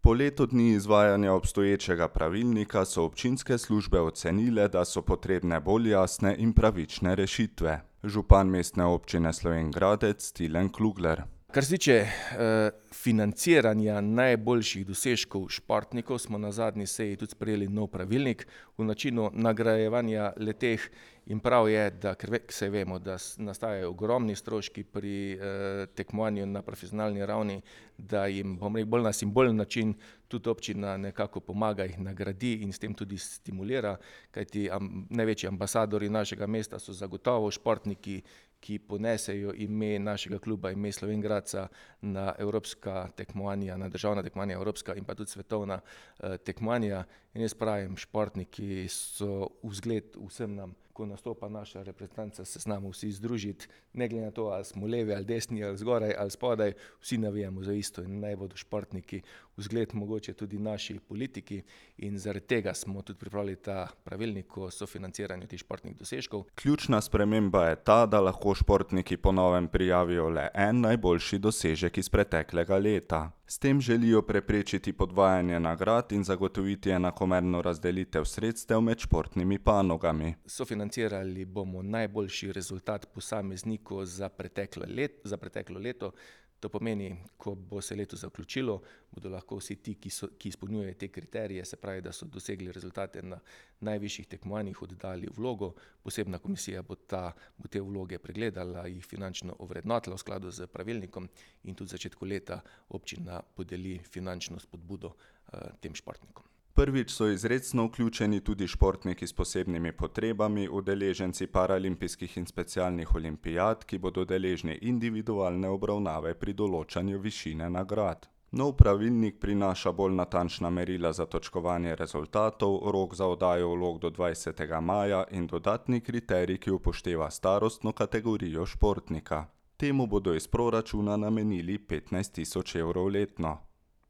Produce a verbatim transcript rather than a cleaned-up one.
Po letu dni izvajanja obstoječega pravilnika so občinske službe ocenile, da so potrebne bolj jasne in pravične rešitve. Župan Mestne občine Slovenj Gradec Tilen Klugler. Kar se tiče eh, financiranja najboljših dosežkov športnikov, smo na zadnji seji tudi sprejeli nov pravilnik v načinu nagrajevanja leteh in prav je, da ker se vemo, da nastajajo ogromni stroški pri eh, tekmovanju na profesionalni ravni, da jim bom rekel bolj na simbolen način tudi občina nekako pomaga, jih nagradi in s tem tudi stimulira, kajti am, največji ambasadorji našega mesta so zagotovo športniki, ki ponesejo ime našega kluba, ime Slovenj Gradca na evropska tekmovanja, na državna tekmovanja, evropska in pa tudi svetovna eh, tekmovanja. In jaz pravim, športniki so vzgled vsem nam. Ko nastopa naša reprezentanca, se znamo vsi združiti, ne glede na to, ali smo levi ali desni, ali zgoraj ali spodaj, vsi navijamo za isto in naj bodo športniki vzgled mogoče tudi naši politiki in zaradi tega smo tudi pripravili ta pravilnik o sofinanciranju teh športnih dosežkov. Ključna sprememba je ta, da lahko športniki po novem prijavijo le en najboljši dosežek iz preteklega leta. S tem želijo preprečiti podvajanje nagrad in zagotoviti enakomerno razdelitev sredstev med športnimi panogami. Sofinancirali bomo najboljši rezultat posameznikov za preteklo let, za preteklo leto. To pomeni, ko bo se leto zaključilo, bodo lahko vsi ti, ki, so, ki izpolnjujejo te kriterije, se pravi, da so dosegli rezultate na najvišjih tekmovanjih, oddali vlogo. Posebna komisija bo, ta, bo te vloge pregledala, jih finančno ovrednotila v skladu z pravilnikom in tudi v začetku leta občina podeli finančno spodbudo uh, tem športnikom. Prvič so izrecno vključeni tudi športniki s posebnimi potrebami, udeleženci paralimpijskih in specialnih olimpijad, ki bodo deležni individualne obravnave pri določanju višine nagrad. Nov pravilnik prinaša bolj natančna merila za točkovanje rezultatov, rok za oddajo vlog do dvajsetega maja in dodatni kriterij, ki upošteva starostno kategorijo športnika. Temu bodo iz proračuna namenili petnajst tisoč evrov letno.